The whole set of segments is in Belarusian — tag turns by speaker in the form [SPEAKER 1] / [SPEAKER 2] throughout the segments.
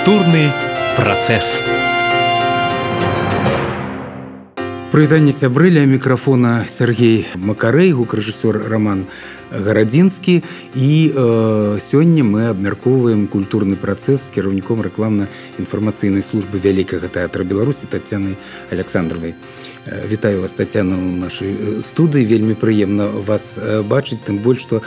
[SPEAKER 1] Культурны працэс.
[SPEAKER 2] Прывітанне сябры, ля мікрафона Сергей Макарэй, гукарэжысёр Роман Гарадзінскі. І сёння мы абмяркоўваем культурны працэс з кіраўніком рэкламна-інфармацыйнай службы Вялікага тэатра Беларусі Таццянай Александровай. Вітаю вас, Таццяна, у нашай студыі. Вельмі прыемна вас бачыць, тым больш, што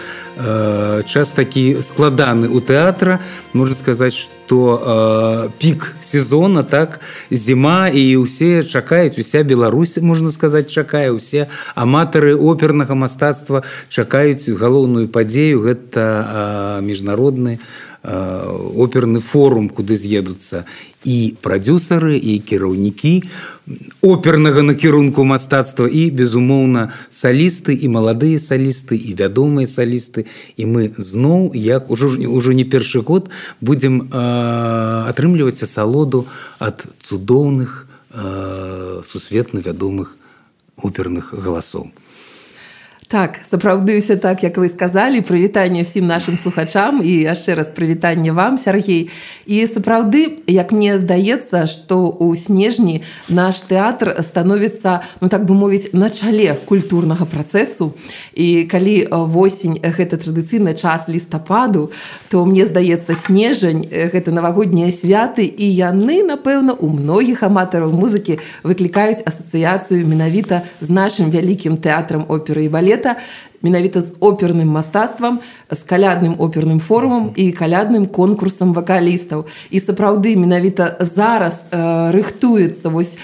[SPEAKER 2] час такі складаны ў тэатра. Можна сказаць, што пік сезона, так, зіма, і ўсе чакаюць, уся Беларусь, можна сказаць, чакае, усе аматары опернага мастацтва чакаюць галоўную падзею. Гэта міжнародны оперны форум, куды з'едуцца і прадзюсары, і кіраўнікі опернага накірунку мастацтва, і, безумоўна, салісты, і маладыя салісты, і вядомыя салісты. І мы зноў, як ужо не першы год, будзем атрымліваць асалоду ад цудоўных, сусветна вядомых оперных галасоў.
[SPEAKER 3] Так, сапраўды ўсё так, як вы сказалі. Прывітанне ўсім нашым слухачам і яшчэ раз прывітанне вам, Сергей. І сапраўды, як мне здаецца, што ў снежні наш тэатр становіцца, ну так бы мовіць, на чале культурнага працэсу. І калі восень – гэта традыцыйны час лістападу, то мне здаецца, снежань – гэта навагоднія святы, і яны, напэўна, у многіх аматараў музыкі выклікаюць асацыяцыю менавіта з нашым вялікім тэатрам оперы і балета, менавіта з оперным мастацтвам, з калядным оперным форумам і калядным конкурсам вакалістаў. І сапраўды менавіта зараз рыхтуецца вось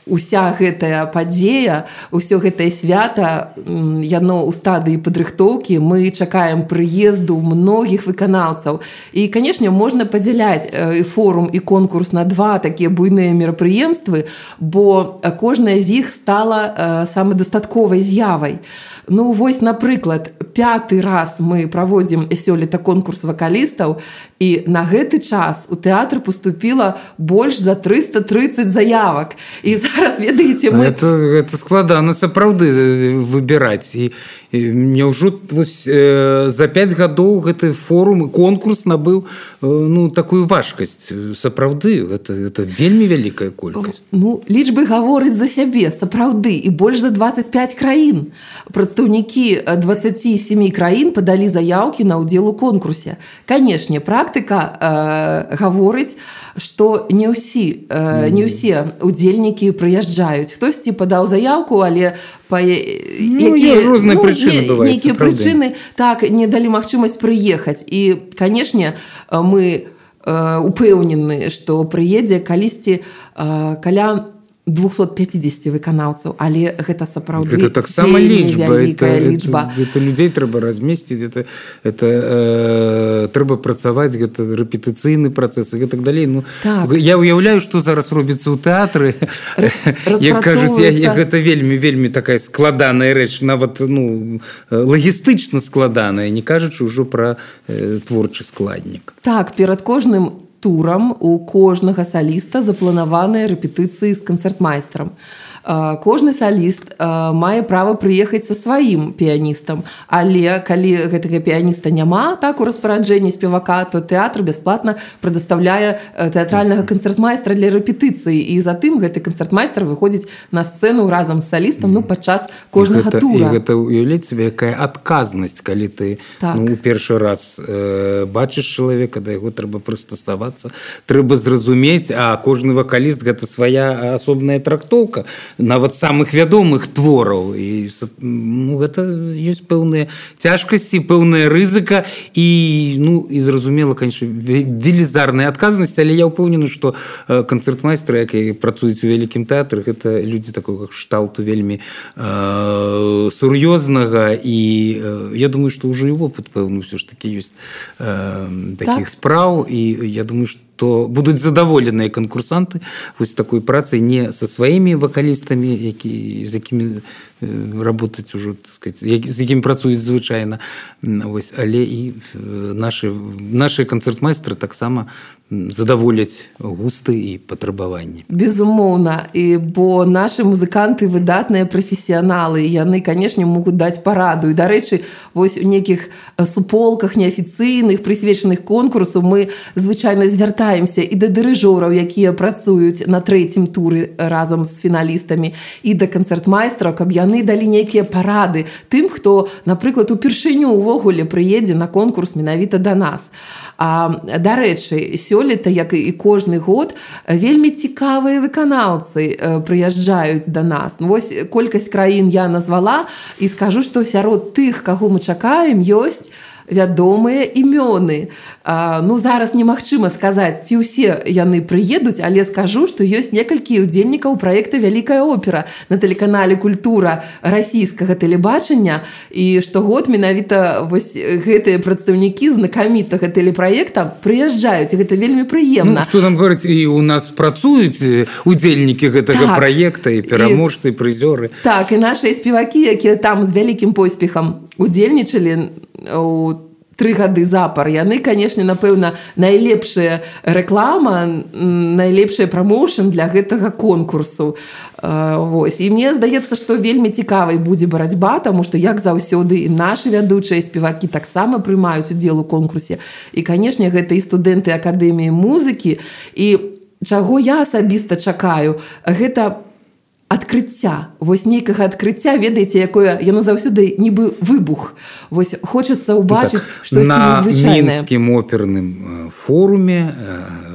[SPEAKER 3] уся гэтая падзея, усё гэтае свята, яно ў стадыі падрыхтоўкі. Мы чакаем прыезду многіх выканаўцаў. І, канешне, можна падзяляць і форум, і конкурс на два такія буйныя мерапрыемствы, бо кожная з іх стала самадастатковай з'явай. Ну, вось, напрыклад, 5-й раз мы праводзім сёлета конкурс вакалістаў, і на гэты час у тэатр поступіла больш за 330 заявак. І зараз, ведаеце, мы...
[SPEAKER 2] Гэта складана сапраўды выбіраць. І няўжо за 5 гадоў гэты форум, конкурс набыў такую важкасць. Сапраўды, гэта вельмі вялікая колькасць.
[SPEAKER 3] Ну, лічбы гавораць за сябе, сапраўды. І больш за 25 краін. Прадстаўнікі 27 краін падалі заяўкі на ўдзел у конкурсе. Канешне, практыка гаворыць, што не ўсе удзельнікі прыязджаюць. Хтосьці падаў заяўку, але
[SPEAKER 2] розныя прычыны бываюць.
[SPEAKER 3] Нейкія прычыны так не далі магчымасць прыехаць. І, канешне, мы упэўнены, што прыедзе калісьці каля 250 выканаўцаў, але гэта сапраўды
[SPEAKER 2] гэта таксама
[SPEAKER 3] лічба.
[SPEAKER 2] Гэта людзей трэба размесціць, гэта трэба працаваць, гэта рэпетыцыйны працэс і гэтак далей. Ну, так. Я ўяўляю, што зараз робіцца ў тэатры. Як кажуць, гэта вельмі такая складаная рэч, нават лагістычна складаная, не кажучы ўжо пра творчы складнік.
[SPEAKER 3] Так, перад кожным турам у кожнага саліста запланаваныя рэпетыцыі з канцэртмайстрам. Кожны саліст мае права прыехаць са сваім піяністам, але калі гэтага піяніста няма так у распараджэнні спевака, то тэатр бясплатна прадастаўляе тэатральнага канцэртмайстра для рэпетыцыі, і затым гэты канцэртмайстар выходзіць на сцэну разам з салістам падчас кожнага тура.
[SPEAKER 2] І гэта уяўляць сабе, якая адказнасць, калі ты у першы раз бачыш чалавека, да яго трэба прыстасавацца, трэба зразумець, а кожны вакаліст гэта свая асобная трактоўка нават самых вядомых твораў. І гэта ёсць пэўныя цяжкасці, пэўная рызыка і зразумела, конечно, велізарная адказнасць, але я ўпэўнены, што канцэртмайстры, якія працуюць у вялікім тэатры, гэта людзі такога кшталту вельмі сур'ёзнага, і я думаю, што ўжо і вопыт пэўны ўсё ж такі ёсць такіх спраў, і я думаю, што будуць задаволеныя канкурсанты вось такой працай не са сваімі вакалістамі, з якімі работаць ужо, так сказать, з якімі працуюць звычайна, але і нашы канцэртмайстры таксама задаволяць густы і патрабаванні.
[SPEAKER 3] Безумоўна, бо нашы музыканты выдатныя прафесіяналы, яны, канешне, могуць даць параду. І, дарэчы, вось у нейкіх суполках неафіцыйных, прысвечаных конкурсу мы звычайна звяртаемся і да дырыжораў, якія працуюць на 3-м туры разам з фіналістамі, і да канцэртмайстраў, каб яны далі нейкія парады тым, хто, напрыклад, упершыню ўвогуле прыедзе на конкурс менавіта да нас. Дарэчы, сёлета, як і кожны год, вельмі цікавыя выканаўцы прыязджаюць да нас. Вось колькасць краін я назвала і скажу, што сярод тых, каго мы чакаем, ёсць вядомыя імёны. Зараз немагчыма сказаць, ці ўсе яны прыедуць, але скажу, што ёсць некалькі удзельнікаў праекта «Вялікая опера» на тэлеканале «Культура» расійскага тэлебачання, і штогод менавіта вось гэтыя прадстаўнікі знакамітага тэлепраекта прыязджаюць, і гэта вельмі прыемна.
[SPEAKER 2] Што нам говораць, і у нас працуюць удзельнікі гэтага праекта, і пераможцы, і прызёры.
[SPEAKER 3] Так, і нашыя спевакі, якія там з вялікім поспехам удзельнічалі у 3 гады запар, яны, канешне, напэўна, найлепшая рэклама, найлепшая прамоушн для гэтага конкурсу. Вось. І мне здаецца, што вельмі цікавай будзе барацьба, таму што, як заўсёды, і нашы вядучыя спевакі таксама прымаюць удзел у конкурсе. І, канешне, гэта і студэнты Акадэміі музыкі. І чаго я асабіста чакаю, гэта адкрыцця. Вось нейкага адкрыцця, ведаеце, якое яно заўсёды нібы выбух. Вось хочацца ўбачыць штосьці незвычайнае.
[SPEAKER 2] На Мінскім оперным форуме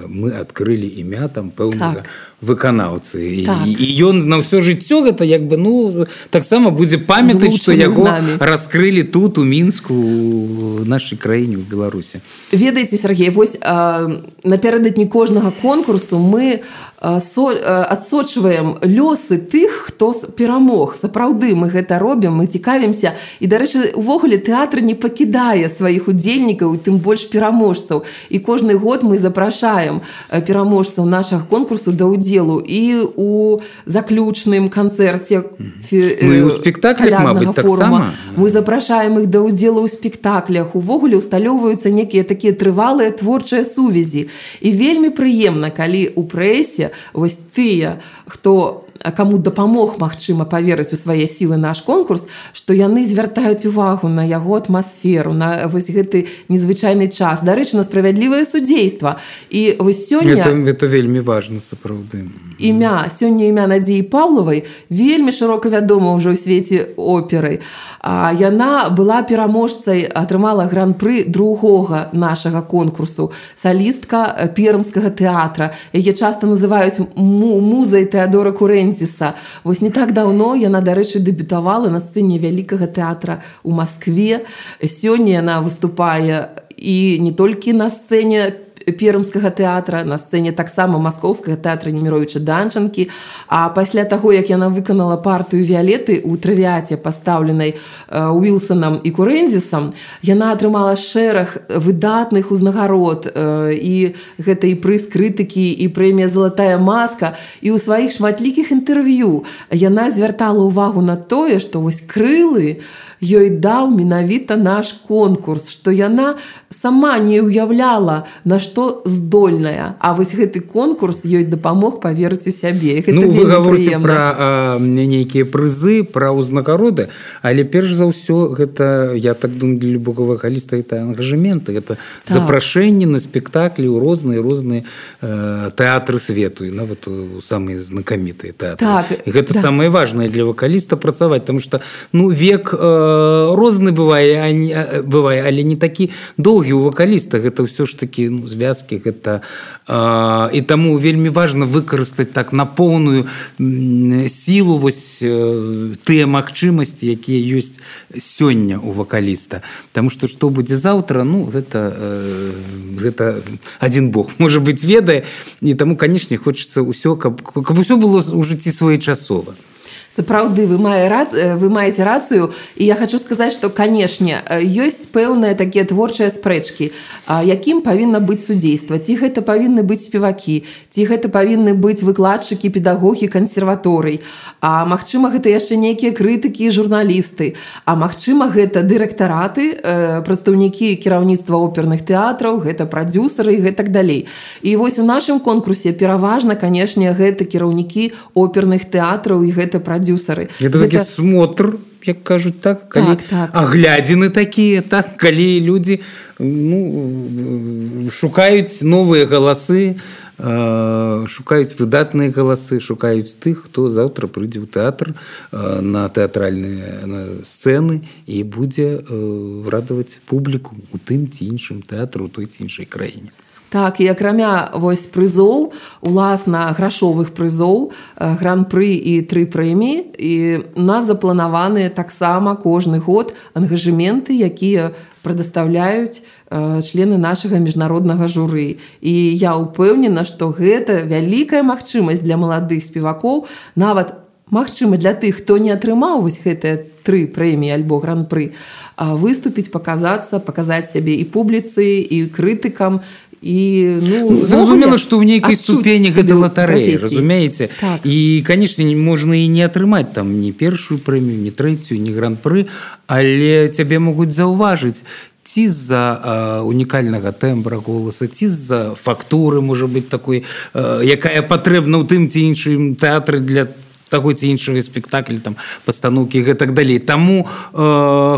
[SPEAKER 2] мы адкрылі імя там пэўнага выканаўцы. І ён на ўсё жыццё гэта як бы, таксама будзе памятаць, што яго раскрылі тут, у Мінску, у нашай краіне, у Беларусі.
[SPEAKER 3] Ведаеце, Сергей, вось напярэдадні кожнага конкурсу мы адсочваем лёсы тых, хто перамог. Сапраўды мы гэта робім, мы цікавімся. І, дарэчы, увогуле тэатр не пакідае сваіх удзельнікаў, тым больш пераможцаў. І кожны год мы запрашаем пераможцаў нашага конкурсу да ўдзелу і у заключным канцэрце
[SPEAKER 2] у спектаклях, мабыць, таксама.
[SPEAKER 3] Мы запрашаем іх да ўдзелу ў спектаклях. Увогуле усталёўваюцца некія такія трывалыя творчыя сувязі. І вельмі прыемна, калі ў прэсе вось тыя, хто каму дапамог, магчыма, паверыць у свае сілы наш конкурс, што яны звяртаюць увагу на яго атмасферу, на вось гэты незвычайны час. Дарэчы, на справядлівае судзейства. І вось сёння...
[SPEAKER 2] Это вельмі важна, сапраўды.
[SPEAKER 3] Сёння імя Надзеі Паўлавай вельмі шырока вядома ўжо ў свеце оперы. Яна была пераможцай, атрымала гран-пры другога нашага конкурсу, салістка Пермскага тэатра. Яе часта называюць музай Тэадора Курэнзіса. Вось не так даўно яна, дарэчы, дэбютавала на сцэне Вялікага тэатра ў Маскве. Сёння яна выступае і не толькі на сцэне Пермскага тэатра, на сцэне таксама Маскоўскага тэатра Неміровіча Данчанкі. А пасля таго, як яна выканала партыю Віялеты ў травіяце, пастаўленай Уілсанам і Курэнзісам, яна атрымала шэраг выдатных узнагарод. І гэта і прыз крытыкі, і прэмія «Залатая маска». І ў сваіх шматлікіх інтэрв'ю яна звяртала ўвагу на тое, што вось крылы ёй даў менавіта наш конкурс, што яна сама не ўяўляла, на што здольная. А вось гэты конкурс ёй дапамог паверыць у сябе.
[SPEAKER 2] Вы гаворыце пра нейкія прызы, пра ўзнагароды, але перш за ўсё гэта, я так думаю, для любога вакаліста гэта ангажэменты, гэта запрашэнні на спектаклі ў розныя тэатры свету, і нават у самыя знакамітыя тэатры. І гэта самае важнае для вакаліста працаваць, таму што век розны бывае, але не такі доўгі у вакаліста. Гэта ўсё ж такі звязкі, гэта і таму вельмі важна выкарыстаць так на поўную сілу вось тыя магчымасці, якія ёсць сёння у вакаліста. Таму што будзе заўтра, гэта адзін Бог, можа быць, ведае, і таму, канечне, хочацца ўсё, каб усё было ў жыцці своечасова.
[SPEAKER 3] Сапраўды, вы маеце рацыю, і я хочу сказаць, што, канешне, ёсць пэўныя такія творчыя спрэчкі, якім павінна быць судзейства, ці гэта павінны быць спевакі, ці гэта павінны быць выкладчыкі, педагогі, кансерваторый, а магчыма, гэта яшчэ нейкія крытыкі і журналісты, а магчыма, гэта дырэктараты, прадстаўнікі кіраўніцтва оперных тэатраў, гэта прадзюсары і гэтак далей. І вось у нашым конкурсе пераважна, канешне, гэта кіраўнікі оперных тэатраў і гэта прадзюсары.
[SPEAKER 2] Это такі смотр, як кажуць, так, калі аглядзіны такія, так, калі людзі шукаюць новыя галасы, шукаюць выдатныя галасы, шукаюць тых, хто заўтра прыйдзе ў тэатр на тэатральныя сцэны і будзе радаваць публіку у тым ці іншым тэатру, у той ці іншай краіне.
[SPEAKER 3] Так, і акрамя вось прызоў, уласна грашовых прызоў, гран-пры і 3 прэміі, і у нас запланаваны таксама кожны год ангажэменты, якія прадастаўляюць члены нашага міжнароднага журы. І я ўпэўнена, што гэта вялікая магчымасць для маладых спевакоў, нават магчыма для тых, хто не атрымаў вось гэтыя 3 прэміі альбо гран-пры, выступіць, паказаць сябе і публіцы, і крытыкам, і
[SPEAKER 2] зразумела, што ў нейкай ступені гэта латарэя, разумееце, і канешне можна і не атрымаць там ні першую прэмію, ні трэцюю, ні гран-пры, але цябе могуць заўважыць ці з-за унікальнага тэмбра голаса, ці з-за фактуры, можа быць, такой, якая патрэбна ў тым ці іншым тэатры для таго ці іншага спектакля, там, пастаноўкі і гэтак далей. Таму,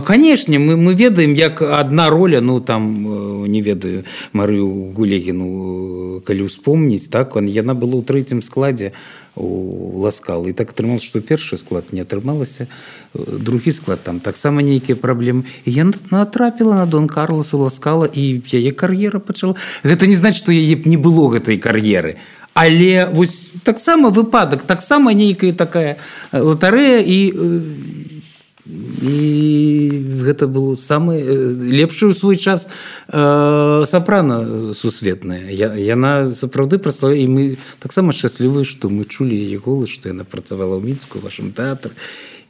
[SPEAKER 2] канешне, мы ведаем, як адна роля, не ведаю, Марыю Гулегіну, калі ўспомніць, так, яна была ў 3-м складзе у Ласкала. І так атрымалася, што першы склад не атрымалася, другі склад, там таксама нейкія праблемы. І яна натрапіла на Дон Карлас у Ласкала, і яе кар'ера пачала. Гэта не значыць, што яе б не было гэтай кар'еры. Але вось таксама выпадак, таксама нейкая такая латарэя, і гэта было самае лепшае ў свой час сапрана сусветная. Яна сапраўды праславіла, і мы таксама шчаслівыя, што мы чулі яе голас, што яна працавала ў Мінску, у вашым тэатры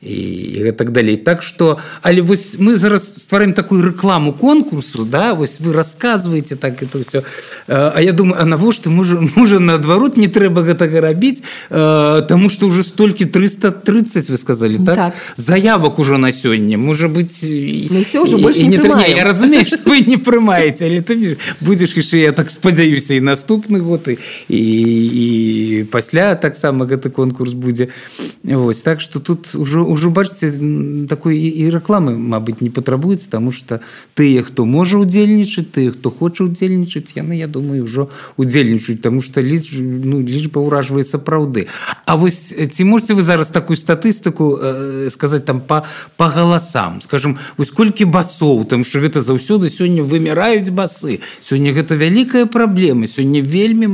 [SPEAKER 2] і гэтак далей. Так што, але вось мы зараз ствараем такую рэкламу конкурсу, да, вось вы расказваеце так это ўсё. А я думаю, а навошта, можа наадварот не трэба гэтага рабіць, таму што ўжо столькі 330, вы сказалі, так? Заявак ужо на сёння, можа быць,
[SPEAKER 3] ўсё ўжо больш не прымаем.
[SPEAKER 2] Я разумею, што вы не прымаеце, але ты будзеш яшчэ, я так спадзяюся, і наступны год, і пасля таксама гэты конкурс будзе. Вось, так што тут ўжо бачыце, такой і рэкламы, мабыць, не патрабуецца, таму што тыя, хто можа ўдзельнічаць, тыя, хто хоча ўдзельнічаць, яны, я думаю, ўжо ўдзельнічаюць, таму што лічба ўражвае сапраўды. А вось ці можете вы зараз такую статыстыку сказаць там па галасам? Скажем, вось колькі басоў, там што гэта заўсёды сёння выміраюць басы. Сёння гэта вялікая праблема, сёння вельмі,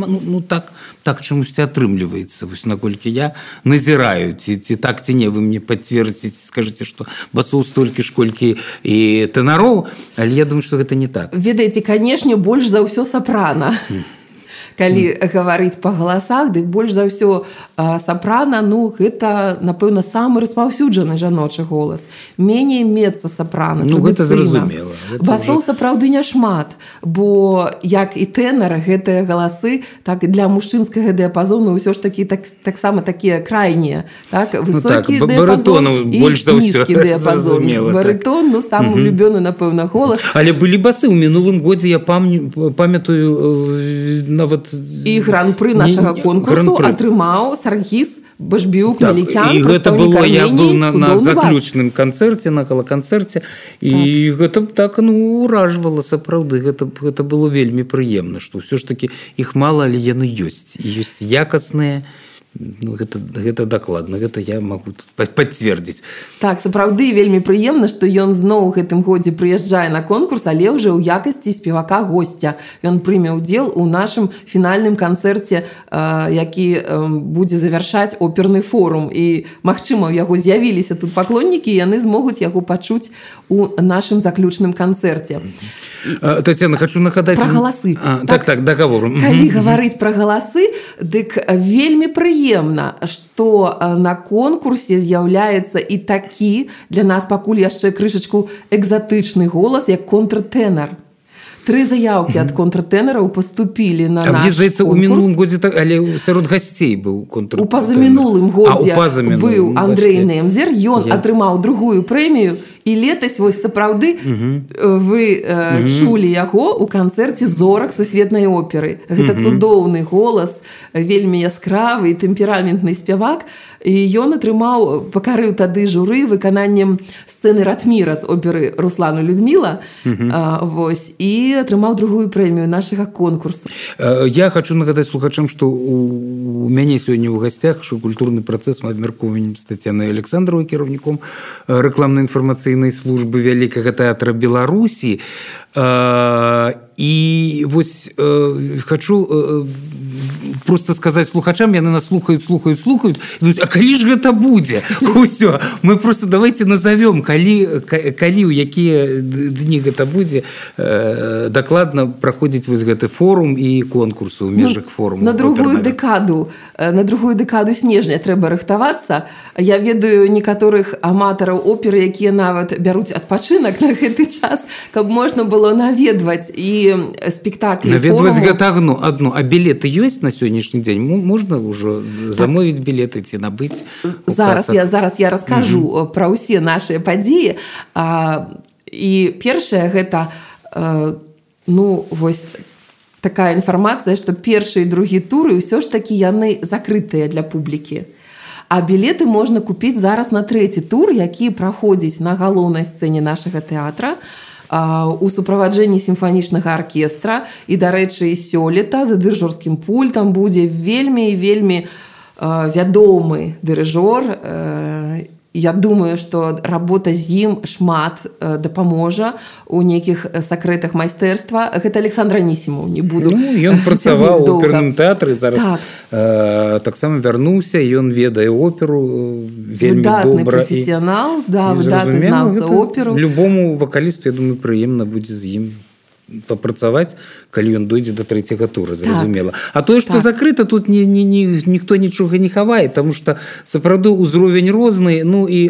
[SPEAKER 2] так чамусьці атрымліваецца, вось наколькі я назіраю, ці так, ці не, вы мне пацвердзіце, скажыце, што басоў столькі ж, колькі і тэнароў, але я думаю, што гэта не так.
[SPEAKER 3] Ведаеце, канешне, больш за ўсё сапрана. Калі гаварыць па галасах, дык больш за ўсё сапрана, гэта, напэўна, самы распаўсюджаны жаночы голас. Меней мецца-сапрана,
[SPEAKER 2] гэта зразумела.
[SPEAKER 3] Басоў сапраўды няшмат, бо як і тэнара, гэтыя галасы, так для мужчынскага дыяпазону ўсё ж такі таксама такія крайнія, так, высокі дыяпазон і нізкі дыяпазон. Барытон, самы улюбёны, напэўна, голас.
[SPEAKER 2] Але былі басы, ў мінулым годзе я памятаю нават
[SPEAKER 3] і гран-пры нашага конкурсу атрымаў Саргіс Башбіюк-Мелікян.
[SPEAKER 2] І гэта было, я быў на заключным канцэрце, на гала-канцэрце, і гэта так, уражвала сапраўды. Гэта было вельмі прыемна, што ўсё ж такі іх мала, але яны ёсць. І ёсць якасныя. Гэта дакладна, гэта я магу пацвердзіць.
[SPEAKER 3] Так, сапраўды вельмі прыемна, што ён зноў у гэтым годзе прыязджае на конкурс, але ўжо ў якасці спевака-госця. Ён прыме ўдзел у нашым фінальным канцэрце, які будзе завяршаць оперны форум. І, магчыма, у яго з'явіліся тут паклоннікі, і яны змогуць яго пачуць у нашым заключным канцэрце.
[SPEAKER 2] Тацяна, хочу нагадаць...
[SPEAKER 3] Пра галасы.
[SPEAKER 2] Так, дагавору.
[SPEAKER 3] Калі гаварыць пра галасы, дык вельмі прыемна прыемна, што на конкурсе з'яўляецца і такі для нас пакуль яшчэ крышачку экзатычны голас, як контртэнар. 3 заявкі ад контртэнараў паступілі на наш
[SPEAKER 2] конкурс. Здаецца, у мінулым годзе, але сярод гасцей быў контртэнар.
[SPEAKER 3] У пазамінулым годзе быў Андрэй Немзер, ён атрымаў другую прэмію, і летась, вось сапраўды, вы чулі яго ў канцэрце зорак сусветнай оперы. Гэта цудоўны голас, вельмі яскравы і тэмпераментны спявак. І ён атрымаў, пакарыў тады журы выкананнем сцэны Ратміра з оперы Руслана Людміла, вось, і атрымаў другую прэмію нашага конкурсу.
[SPEAKER 2] Я хочу нагадаць слухачам, што у мяне сёння ў гасцях, што культурны працэс мы абмяркоўваем з Тацянай Александровай, кіраўніком рэкламна-інфармацыйнай службы Вялікага тэатра Беларусі. І вось хочу просто сказаць слухачам, яны нас слухаюць, а калі ж гэта будзе? Усё, мы просто давайте назовем, калі у якія дні гэта будзе, дакладна праходзіць вось гэты форум і конкурсы ў межах форуму.
[SPEAKER 3] На другую дэкаду снежня трэба рыхтавацца. Я ведаю некаторых аматараў оперы, якія нават бяруць адпачынак на гэты час, каб можна было наведваць і спектаклі форуму.
[SPEAKER 2] Наведваць гэта адно, а білеты ёсць на сённяшні дзень? Можна ўжо замовіць білеты ці набыць?
[SPEAKER 3] Зараз я раскажу пра ўсе нашыя падзеі. І першае гэта, вось такая інфармацыя, што першы і другі туры ўсё ж такі яны закрытыя для публікі. А білеты можна купіць зараз на трэці тур, які праходзіць на галоўнай сцэне нашага тэатра у суправаджэнні сімфанічнага аркестра. І, дарэчы, сёлета за дырыжорскім пультам будзе вельмі вядомы дырыжор. Я думаю, што работа з ім шмат дапаможа у нейкіх сакрэтах майстэрства. Гэта Александр Анісімаў, не буду.
[SPEAKER 2] Ён працаваў у оперным тэатры, зараз таксама вярнуўся, ён ведае оперу вельмі добра.
[SPEAKER 3] Выдатны прафесіянал, выдатны знаўца оперу.
[SPEAKER 2] Любому вакалісту, я думаю, прыемна будзе з ім папрацаваць, калі ён дойдзе да трэцяга тура, зразумела. А тое, што закрыта, тут ніхто нічога не хавае, таму што сапраўды ўзровень розны, і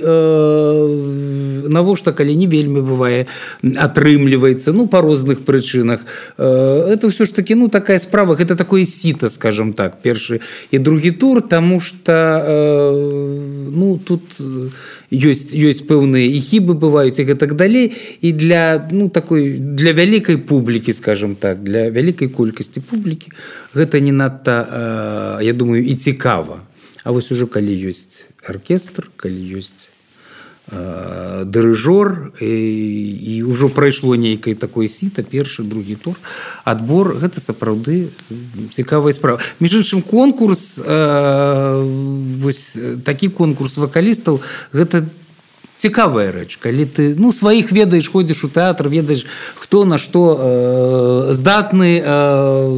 [SPEAKER 2] навошта, калі не вельмі бывае, атрымліваецца, па розных прычынах. Это ўсё ж такі, такая справа, гэта такое сіта, скажам так, першы і другі тур, таму што тут ёсць пэўныя і хібы бываюць, і гэтак далей, і для вялікай публікі, скажем так, для вялікай колькасці публікі гэта не надта, я думаю, і цікава. А вось ужо калі ёсць аркестр, калі ёсць дырыжор, і ўжо прайшло нейкае такое сіта, першы, другі тур, адбор, гэта сапраўды цікавая справа. Між іншым, конкурс, вось такі конкурс вакалістаў, гэта цікавая рэч, калі ты сваіх ведаеш, ходзіш у тэатр, ведаеш, хто на што здатны,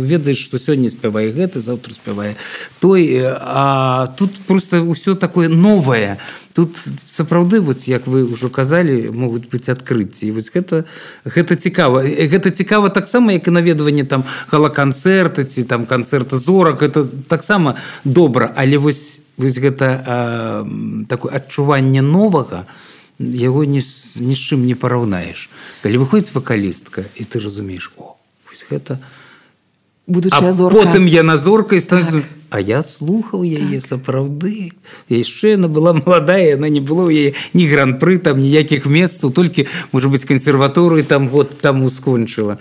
[SPEAKER 2] ведаеш, што сёння спявае гэты, заўтра спявае той, а тут просто ўсё такое новае. Тут сапраўды, як вы ўжо казалі, могуць быць адкрыцці. І вось гэта цікава. Гэта цікава таксама, як і наведванне гала-канцэрта ці канцэрта зорак. Гэта таксама добра. Але вось гэта такое адчуванне новага, яго ні з чым не параўнаеш. Калі выходзіць вакалістка, і ты разумееш, вось гэта...
[SPEAKER 3] Будучая зорка.
[SPEAKER 2] А потым яна зоркай становіцца... А я слухаў яе сапраўды. Яшчэ яна была маладая, яна не было ў яе ні гран-пры, ніякіх месцаў, толькі, можа быць, кансерваторыю год таму скончыла.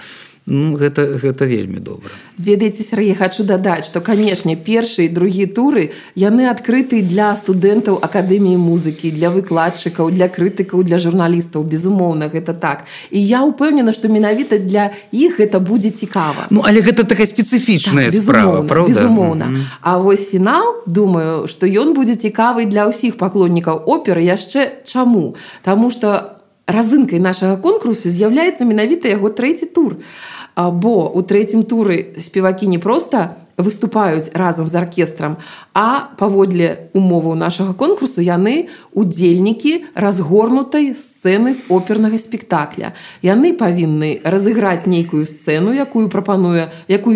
[SPEAKER 2] Гэта вельмі добра.
[SPEAKER 3] Ведаеце, Сергей, хочу дадаць, што, канешне, першы і другі туры, яны адкрыты для студэнтаў Акадэміі музыкі, для выкладчыкаў, для крытыкаў, для журналістаў. Безумоўна, гэта так. І я ўпэўнена, што менавіта для іх гэта будзе цікава.
[SPEAKER 2] Але гэта такая спецыфічная справа, правда?
[SPEAKER 3] Безумоўна. А вось фінал, думаю, што ён будзе цікавы для ўсіх паклоннікаў оперы. Яшчэ чаму? Таму што разынкай нашага конкурсу з'яўляецца менавіта яго трэці тур. Бо ў трэцім туры спевакі не проста выступаюць разам з аркестрам, а паводле умоваў нашага конкурсу яны удзельнікі разгорнутай сцэны з опернага спектакля. Яны павінны разыграць нейкую сцэну, якую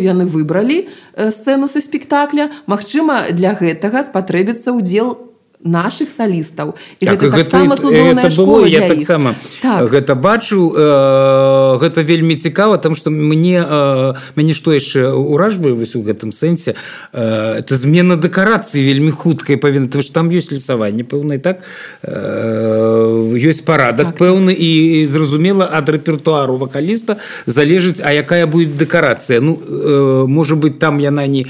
[SPEAKER 3] яны выбралі, сцэну са спектакля. Магчыма, для гэтага спатрэбіцца ўдзел наших салістаў. І
[SPEAKER 2] так,
[SPEAKER 3] гэта таксама цудоўная школа для іх.
[SPEAKER 2] Так. Гэта бачу, гэта вельмі цікава, там што мяне што яшчэ ўражвае вось у гэтым сэнсе, это змена дэкарацыі вельмі хуткай павінна, тому што там ёсць лісаванне пэўнае, так? Ёсць парадак так, пэўны, і зразумела, ад рэпертуару вакаліста залежыць, а якая будзе дэкарацыя. Ну, можа быць, там яна не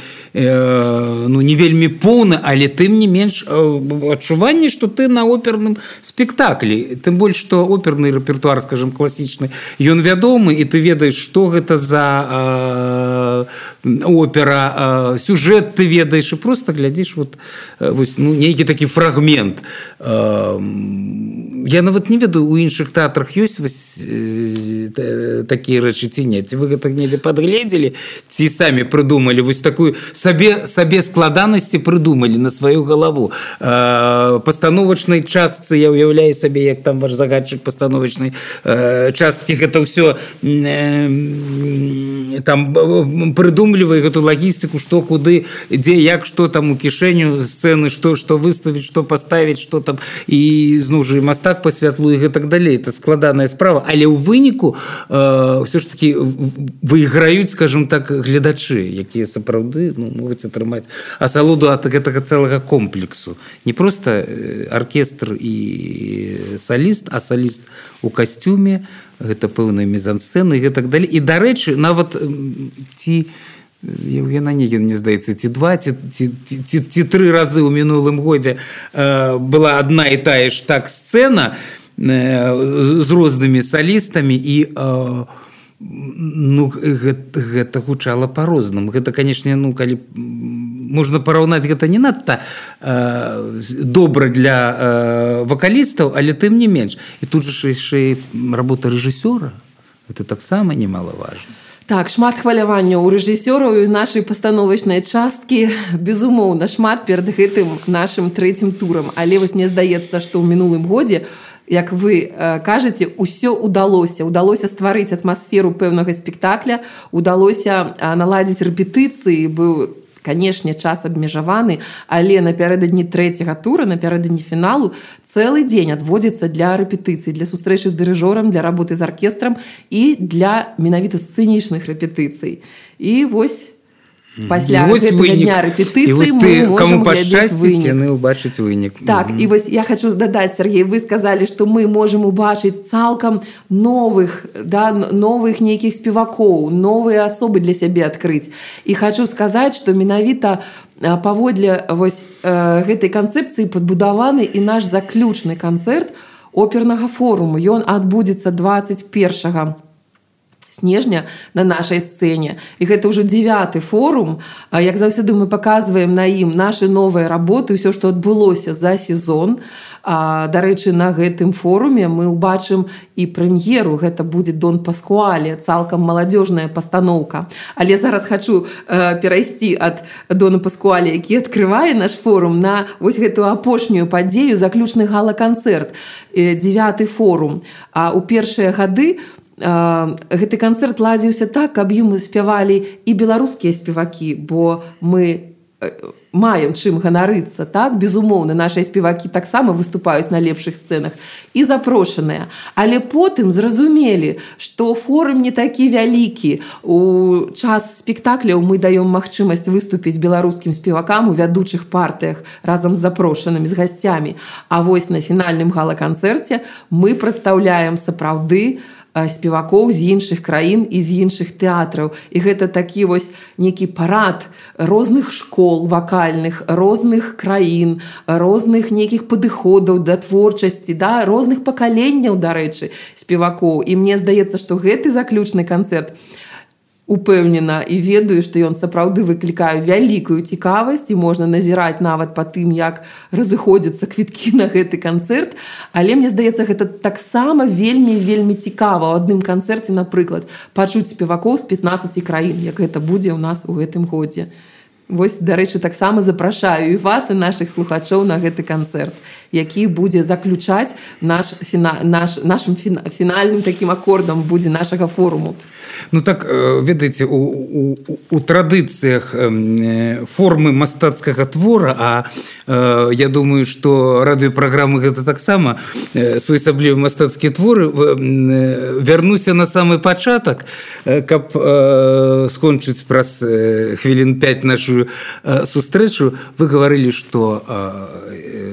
[SPEAKER 2] вельмі поўна, але тым не менш адчуванне, што ты на оперным спектаклі. Тым больш, што оперны рэпертуар, скажем, класічны, ён вядомы, і ты ведаеш, што гэта за опера, сюжэт ты ведаеш, і проста глядзіш нейкі такі фрагмент. Я нават не ведаю, у іншых тэатрах ёсць такія рэчы ці не? Ці вы гэта недзе падгледзелі, ці самі прыдумалі такую сабе складанасці прыдумалі на сваю галаву? Пастановачнай частцы, я ўяўляю сабе, як там ваш загадчык пастановачнай часткі, гэта ўсё там прыдумлівае гэту лагістыку, што куды, дзе, як, што там у кішэню сцэны, што выставіць, што паставіць, што там, і зноў жа мастак па святлу і гэтак далей. Это складаная справа, але ў выніку ўсё ж такі выйграюць, скажем так, гледачы, якія сапраўды могуць атрымаць асалоду ад гэтага цэлага комплексу. Не просто аркестр і саліст, а саліст у касцюме, гэта пэўная мізансцэна і гэтак далей. І, дарэчы, нават ці Евген Онегин, мне здаецца, ці 2, ці 3 разы ў мінулым годзе была адна і тая ж так сцэна з рознымі салістамі, і гэта гучала па-рознаму. Гэта, канешне, калі можна параўнаць, гэта не надта добра для вакалістаў, але тым не менш. І тут жа яшчэ работа рэжысёра, гэта таксама немалаважна.
[SPEAKER 3] Так, шмат хвалявання ў рэжысёраў і нашай пастановачнай часткі, безумоўна, шмат перад гэтым нашым 3-м турам. Але мне здаецца, што ў мінулым годзе, як вы кажаце, усё ўдалося. Удалося стварыць атмасферу пэўнага спектакля, удалося наладзіць рэпетыцыі, быў, канешне, час абмежаваны, але напярэдадні 3-го тура, напярэдадні фіналу, цэлы дзень адводзіцца для рэпетыцый, для сустрэчы з дырыжорам, для работы з аркестрам і для менавіта сцэнічных рэпетыцый. І вось пасля гэтага дня рэпетыцый мы можам глядзець вынік.
[SPEAKER 2] Яны ўбачыць вынік.
[SPEAKER 3] Так, і вось я хочу дадаць, Сергей, вы сказалі, што мы можам убачыць цалкам новых нейкіх спевакоў, новыя асобы для сябе адкрыць. І хочу сказаць, што менавіта паводле гэтай канцэпцыі падбудаваны і наш заключны канцэрт опернага форуму. Ён адбудзецца 21 снежня на нашай сцэне. І гэта ўжо 9-й форум. Як заўсёды мы паказваем на ім нашы новыя работы, ўсё, што адбылося за сезон. Дарэчы, на гэтым форуме мы ўбачым і прэм'еру. Гэта будзе Дон Паскуале, цалкам маладзёжная пастаноўка. Але зараз хачу перайсці ад Дона Паскуале, які адкрывае наш форум, на вось гэтую апошнюю падзею, заключны гала-канцэрт, 9-й форум. У першыя гады гэты канцэрт ладзіўся так, каб ім спявалі і беларускія спевакі, бо мы маем чым ганарыцца, так? Безумоўна, нашыя спевакі таксама выступаюць на лепшых сцэнах і запрошаныя. Але потым зразумелі, што форум не такі вялікі. У час спектакляў мы даём магчымасць выступіць беларускім спевакам у вядучых партыях разам з запрошанымі, з гасцямі. А вось на фінальным гала-канцэрце мы прадстаўляем сапраўды спевакоў з іншых краін і з іншых тэатраў. І гэта такі вось нейкі парад розных школ вакальных, розных краін, розных нейкіх падыходаў да творчасці, розных пакаленняў, дарэчы, спевакоў. І мне здаецца, што гэты заключны канцэрт упэўнена і ведаю, што ён сапраўды выклікае вялікую цікавасць і можна назіраць нават па тым, як разыходзяцца квіткі на гэты канцэрт. Але мне здаецца, гэта таксама вельмі цікава ў адным канцэрце, напрыклад, пачуць спевакоў з 15 краін, як гэта будзе ў нас у гэтым годзе. Вось, дарэчы, таксама запрашаю і вас, і нашых слухачоў на гэты канцэрт, які будзе заключаць нашым фінальным такім акордам будзе нашага форуму.
[SPEAKER 2] Ну так, ведаеце, у традыцыях формы мастацкага твора, а я думаю, што радыёпраграмы гэта таксама своеасаблівыя мастацкія творы, вярнуся на самы пачатак, каб скончыць праз хвілін 5 нашу сустрэчу. Вы гаварылі, што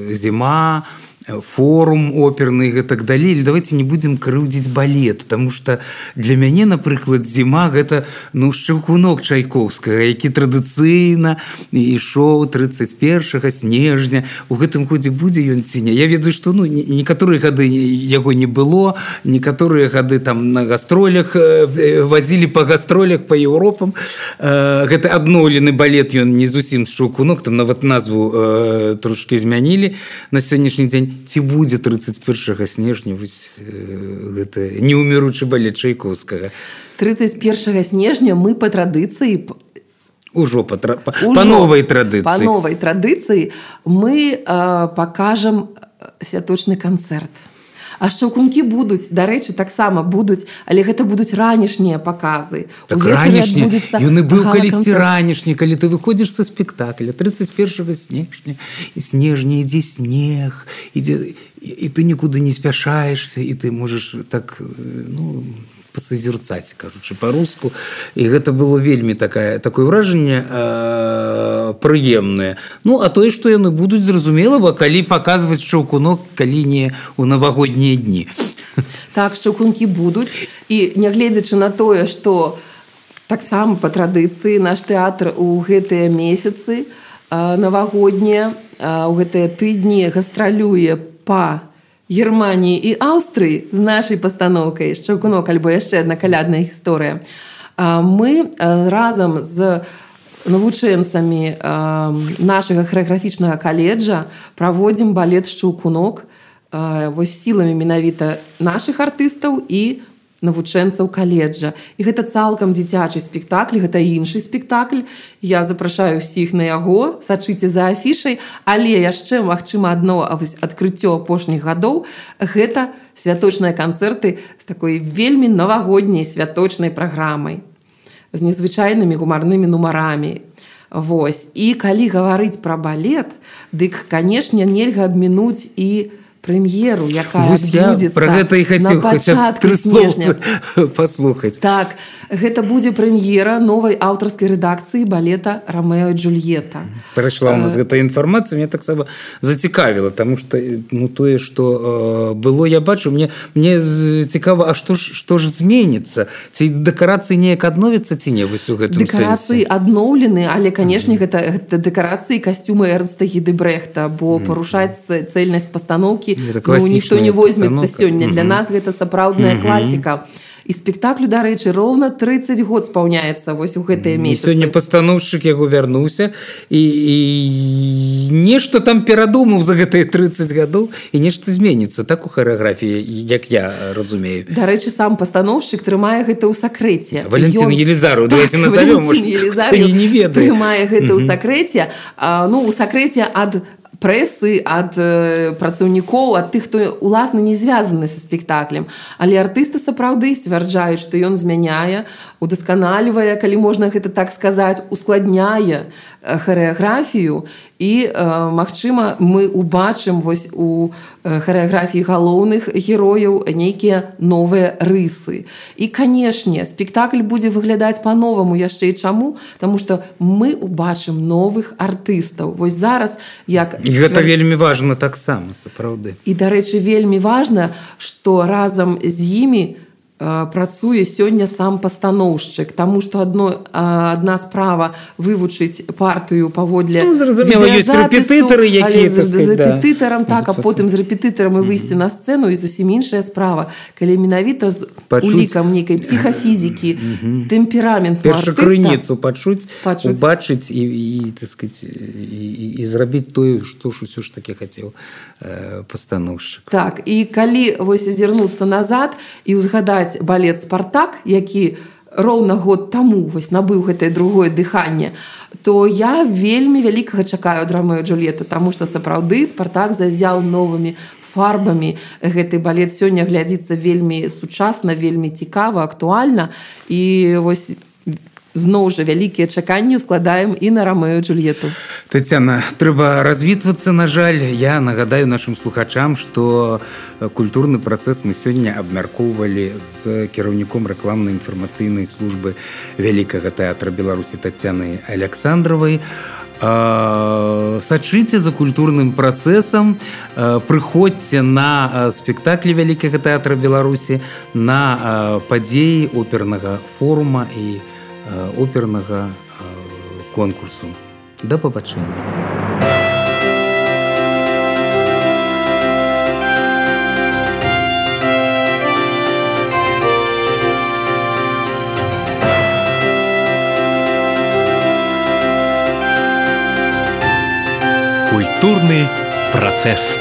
[SPEAKER 2] зіма, форум оперны і так далей. Давайте не будем крыўдзіць балет, потому что для мяне, напрыклад, зіма гэта Шчаўкунок Чайковскага, які традыцыйна ішоў 31 снежня. У гэтым годзе будзе ён ці не. Я ведаю, што некаторыя гады яго не было, некаторыя гады там на гастролях вазілі па гастролях па Еўропам. Гэта адноўлены балет, ён не зусім Шчаўкунок, там нават назву трошки змянілі на сённяшні дзень. Ці будзе 31 снежня гэта неуміручы балет Чайковскага?
[SPEAKER 3] 31 снежня мы па традыцыі
[SPEAKER 2] Ужо па новай традыцыі.
[SPEAKER 3] Па новай традыцыі мы пакажам святочны канцэрт. А Шчаўкункі будуць, дарэчы, таксама будуць, але гэта будуць ранішнія паказы.
[SPEAKER 2] Так ранішні, ён і быў калісьці ранішні, калі ты выходзіш са спектакля 31 снежня, і снежня ідзе снег, і ты нікуды не спяшаешься, і ты можаш так, пасазерцаць, кажучы па-руску. І гэта было вельмі такое ўражанне прыемнае. А тое, што яны будуць, зразумела, бо калі паказваць Шчаўкунок, калі не ў навагоднія дні.
[SPEAKER 3] Так, Шчаўкункі будуць. І нягледзячы на тое, што таксама па традыцыі наш тэатр у гэтыя месяцы навагоднія, у гэтыя тыдні гастралюе па Германії і Аўстрыі з нашай пастаноўкай «Шчаўкунок» альбо яшчэ адна калядная гісторыя. Мы разам з навучэнцамі нашага харэаграфічнага каледжа праводзім балет «Шчаўкунок» вось сіламі менавіта нашых артыстаў і навучэнцаў каледжа. І гэта цалкам дзіцячы спектакль, гэта іншы спектакль. Я запрашаю ўсіх на яго, сачыце за афішай, але яшчэ, магчыма, адно адкрыццё апошніх гадоў – гэта святочныя канцэрты з такой вельмі навагодняй святочнай праграмай, з незвычайнымі гумарнымі нумарамі. Вось. І калі гаварыць пра балет, дык, канешне, нельга абмінуць і прэм'еру, якая адбудзецца на пачатку снежня.
[SPEAKER 2] Паслухаць.
[SPEAKER 3] Так, гэта будзе прэм'ера новай аўтарскай рэдакцыі балета «Рамео і Джульетта».
[SPEAKER 2] Прайшла у нас гэта інфармацыя, мне таксама зацікавіла, таму што тое, што было, я бачу, мне цікава, а што ж зменіцца? Ці дэкарацыі неяк адновяцца, ці не вось у гэтым сэнсе?
[SPEAKER 3] Дэкарацыі адноўлены, але, канешне, гэта дэкарацыі касцюмы Эрнста Гідэбрэхта, бо парушаць цэльнасць пастаноўкі ніхто не возьмецца сёння. Для нас гэта сапраўдная класіка. І спектаклю, дарэчы, роўна 30 год спаўняецца вось у гэтыя месяцы.
[SPEAKER 2] Сёння пастаноўшчык яго вярнуўся і нешта там перадумаў за гэтыя 30 гадоў і нешта зменіцца так у харэаграфіі, як я разумею.
[SPEAKER 3] Дарэчы, сам пастаноўшчык трымае гэта ў сакрэце.
[SPEAKER 2] Валентин Елизаров, давайте назовём, хто не ведае.
[SPEAKER 3] Трымае гэта ў сакрэце. У сакрэце ад прэсы, ад працаўнікоў, ад тых, хто уласна не звязаны са спектаклем. Але артысты сапраўды сцвярджаюць, што ён змяняе, удасканалівае, калі можна гэта так сказаць, ускладняе харэаграфію і, магчыма, мы убачым вось у харэаграфіі галоўных герояў нейкія новыя рысы. І, канешне, спектакль будзе выглядаць па-новаму яшчэ і чаму? Таму што мы убачым новых артыстаў. Вось зараз, як...
[SPEAKER 2] І гэта вельмі важна таксама, сапраўды.
[SPEAKER 3] І, дарэчы, вельмі важна, што разам з імі працуе сёння сам пастаноўшчык, таму што адна справа вывучыць партыю паводле
[SPEAKER 2] відэазапісу,
[SPEAKER 3] але з рэпетытарам, так, а потым з рэпетытарам і выйсці на сцэну, і зусім іншая справа, калі менавіта з улікам нейкай псіхафізікі, тэмпераменту артыста.
[SPEAKER 2] Першу крыніцу пачуць, убачыць і зрабіць тое, што ж усё ж такі хацеў пастаноўшчык.
[SPEAKER 3] Так, і калі вось азірнуцца назад і ўзгадаць балет «Спартак», які роўна год таму вось набыў гэтае другое дыханне, то я вельмі вялікага чакаю ад Рамео і Джульетты, таму што сапраўды Спартак зазяў новымі фарбамі. Гэты балет сёння глядзіцца вельмі сучасна, вельмі цікава, актуальна. І вось зноў жа вялікія чаканні складаем і на Рамео і Джульетту.
[SPEAKER 2] Тацяна, трэба развітвацца, на жаль. Я нагадаю нашым слухачам, што культурны працэс мы сёння абмяркоўвалі з кіраўніком рэкламнай інфармацыйнай службы Вялікага тэатра Беларусі Тацянай Аляксандравай. Сачыце за культурным працэсам, прыходзьце на спектаклі Вялікага тэатра Беларусі, на падзеі опернага форума і опернага конкурсу. Да пабачэння.
[SPEAKER 1] Культурный процесс.